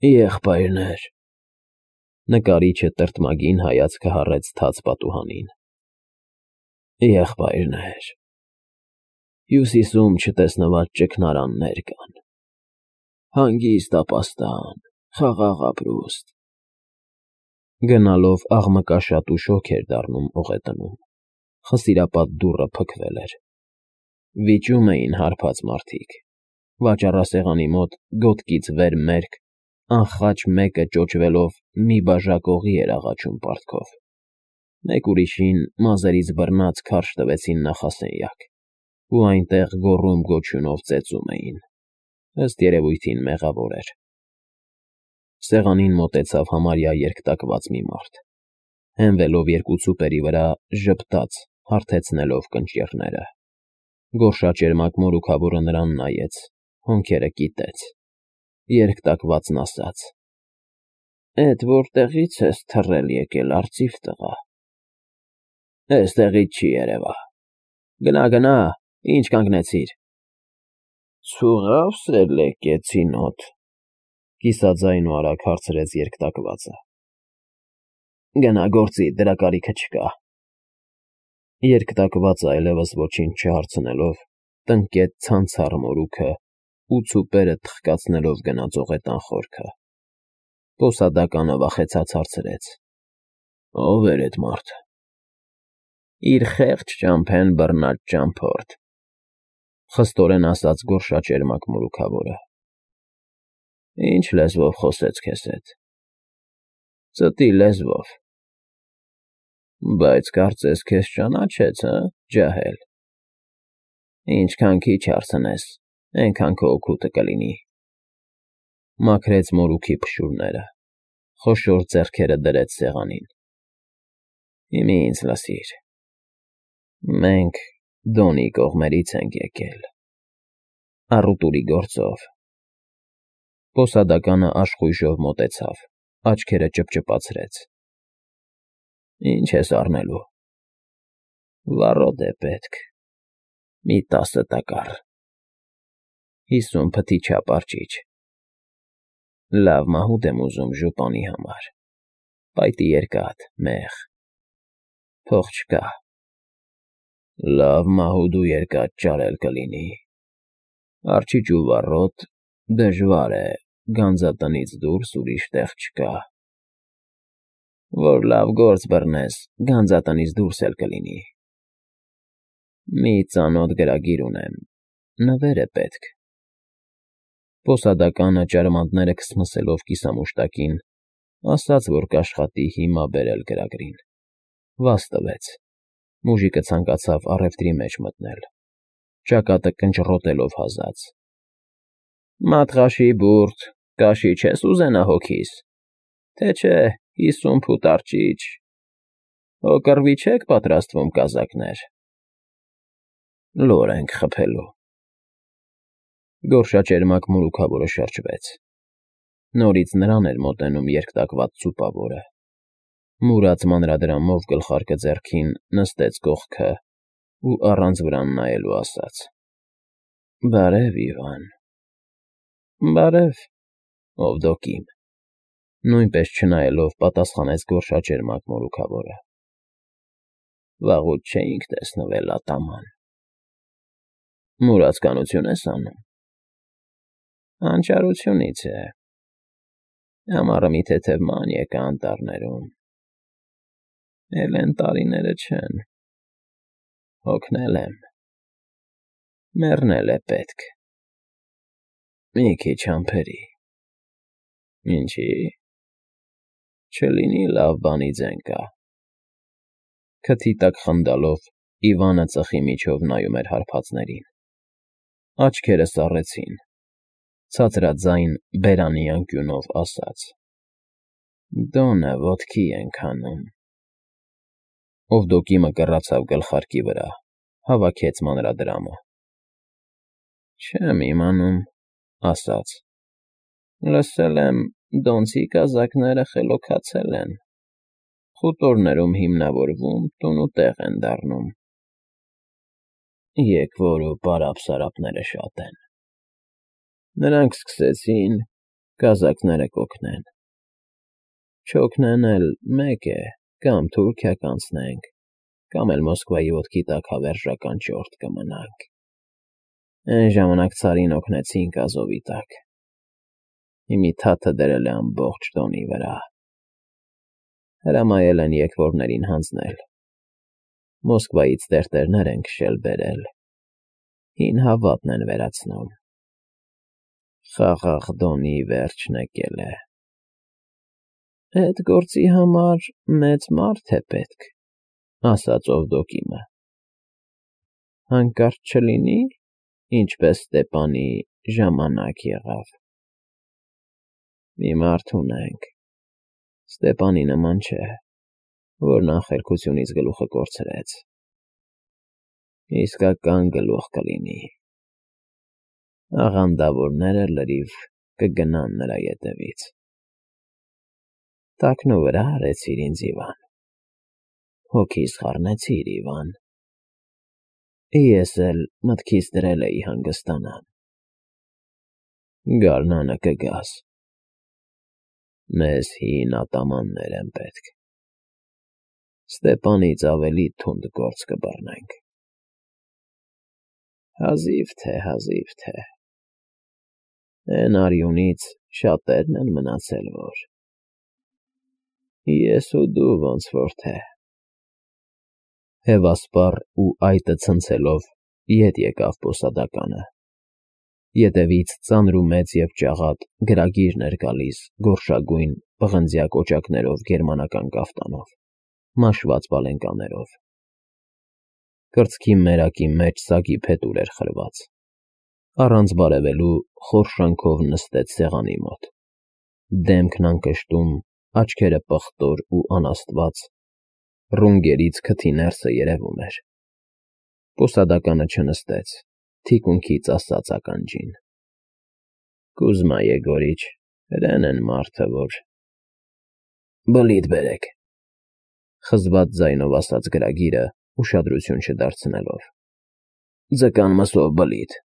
Եղբայրներ… Նկարիչը տրտմագին հայացքը հառեց թաց պատուհանին։ Եղբայրներ… Հյուսիսում չտեսնված ճգնարաններ կան, հանգիստ ապաստան, խաղաղ ապրուստ… Գնալով աղմկաշատ ու շոգ էր դառնում օղետնում, խսիրապատ դուռը փակվել էր, վիճում էին հարբած մարդիկ, վաճառասեղանի մոտ գոտկից վեր մերկ, անխաչ մեկը ճոճվելով մի բաժակ օղի էր աղաչում պարտքով, մեկ ուրիշին մազերից բռնած քարշ տվեցին նախասենյակ ու այնտեղ գոռում֊գոչյունով ծեծում էին, ըստ երևույթին մեղավոր էր… Սեղանին մոտեցավ համարյա երկատված մի մարդ, հենվելով երկու ծուպերի վրա ժպտաց, հարթեցնելով կնճիռները, գորշաճերմակ մորուքավորը նրան նայեց, հոնքերը կիտեց, երկատվածն ասաց. Էդ որտեղի՞ց ես թռել եկել, արծիվ տղա… Էստեղից չի երևա… Գնա, ինչ կանգնեցիր… Ցուղա՞վ սելեկեցին օդ, կիսաձայն ու արագ հարցրեց երկատվածը… Գնա գործիդ, դրա կարիքը չկա… Երկատվածը այլևս ոչինչ չհարցնելով, տնկեց ցանցառ մորուքը ու ծուպերը թխկացնելով գնաց օղետան խորքը… Պոսադականը վախեցած հարցրեց. Ո՞վ էր էդ մարդը… Իր խեղճ ճամփեն բռնած ճամփորդ… Խստորեն ասաց գորշաճերմակ մորուքավորը… Ինչ լեզվով խոսեց քեզ հետ… Ծտի լեզվով… Բայց կարծես քեզ ճանաչեց, ջահել… Ինչքան քիչ հարցնես, էնքան քո օգուտը կլինի… Մաքրեց մորուքի փշուրները, խոշոր ձեռքերը դրեց սեղանին… Հիմա ինձ լսիր… Մենք Դոնի կողմերից ենք եկել… Առուտուրի գործով… Պոսադականը աշխույժով մոտեցավ, աչքերը ճպճպացրեց… Ինչ ես առնելու… Վառոդ է պետք… Մի 10 տակառ… 50 փթի չափ արճիճ… Լավ մահուդ եմ ուզում ժուպանի համար… Պայտի երկաթ, մեղ… Փող չկա… Լավ մահուդ ու երկաթ ճարել կլինի… Արճիճ ու վառոդ… Դժվար է, գանձատնից դուրս ուրիշ տեղ չկա… Որ լավ գործ բռնես, գանձատնից դուրս էլ կլինի… Մի ծանոթ գրագիր ունեմ… Նվեր է պետք… Պոսադականը ճարմանտները քսմսելով կիսամուշտակին, ասաց, որ կաշխատի հիմա բերել գրագրին… Վազ տվեց… Մուժիկը ցանկացավ առևտրի մեջ մտնել… Ճակատը կնճռոտելով հասած. Մատղաշի բուրդ, կաշի չես ուզենա հոգիս… Թե չէ 50 փութ արճիճ… Հո կռվի չեք պատրաստվում, կազակներ… Լոր ենք խփելու… Գորշաճերմակ մորուքավորը շրջվեց… Նորից նրան էր մոտենում երկատված ծուպավորը… Մուրած մանրադրամով գլխարկը ձեռքին նստեց կողքը ու առանց վրան նայելու ասաց. Բարև, Իվան… Բարև, Օվդոկիմ… Նույնպես չնայելով պատասխանեց գորշաճերմակ մորուքավորը… Վաղուց չէինք տեսնվել, ատաման… Մուրացկանությո՞ւն ես անում… Անճարությունից է… Ամառը մի թեթև ման եկա անտառներում… Էլ էն տարիները չեն… Հոգնել եմ… Մեռնել է պետք… Մի քիչ համբերի… Ինչի՞… Չլինի լավ բանի ձեն կա… Քթի տակ խնդալով Իվանը ծխի միջով նայում էր հարբածներին… Աչքերը սառեցին… Ցածրաձայն, բերանի անկյունով ասաց. Դոնը ոտքի ենք հանում… Օվդոկիմը կռացավ գլխարկի վրա, հավաքեց մանրադրամը… Չեմ իմանում, ասաց. Լսել եմ, դոնցի կազակները խելոքացել են… Խուտորներում հիմնավորվում, տուն ու տեղ են դառնում… Եկվոր ու պարապ֊սարապները շատ են… Նրանք սկսեցին… Կազակները կօգնեն։ Չօգնեն էլ մեկ է, կամ Թուրքիա կանցնենք, կամ էլ Մոսկվայի ոտքի տակ հավերժական ճորտ կմնանք։ Այն ժամանակ ցարին օգնեցինք Ազովի տակ։ Հիմի թաթը դրել է ամբողջ Դոնի վրա։ Հրամայել են եկվորներին հանձնել։ Մոսկվայից տերտերներ են քշել բերել։ Հին հավատն են վերացնում։ Խաղաղ Դոնի վերջն եկել է։ Այդ գործի համար մեծ մարդ է պետք, ասաց Օվդոկիմը։ Հանկարծ չլինի, ինչպես Ստեպանի ժամանակ եղավ։ Մի մարդ ունենք, Ստեպանի նման չէ, որ նախերգությունից գլուխը կորցրեց։ Իսկական գլուխ կլինի։ Աղանդավորները լրիվ կգնան նրա ետևից։ Տակնու վրա արեցիր ինձ, Իվան։ Հոգիս խառնեցիր, Իվան։ Ես էլ մտքիս դրել էի հանգստանամ։ Գարնանը կգաս։ Մեզ հին ատամաններ են պետք։ Ստեպանից ավելի թունդ գործ կբռնենք։ Հազիվ թե։ Էն արյունից շատերն են մնացել, որ… Ես ու դու ոնց որ թե… Հևասպառ ու այտը ցնցելով ետ եկավ բոսադականը։ Ետևից ծանր ու մեծ և ճաղատ գրագիրն էր գալիս գորշագույն պղնձյա կոճակներով գերմանական կաֆտանով, մաշված պալենկաներով։ Կրծքի մերակի մեջ սագի փետուր էր խրված։ Առանց բարևելու խորշանքով նստեց սեղանի մոտ։ Դեմքն անկշտում, աչքերը պղտոր ու անաստված, ռունգերից քթի ներսը երևում էր։ Բոսադականը չնստեց, թիկունքից ասաց ականջին. Կուզմա Եգորիչ, հրեն են մարդը, որ… Բլիթ բերեք, խզված ձայնով ասաց գրագիրը, ուշադրություն չդարձնելով։ Ձկան մսով բլիթ։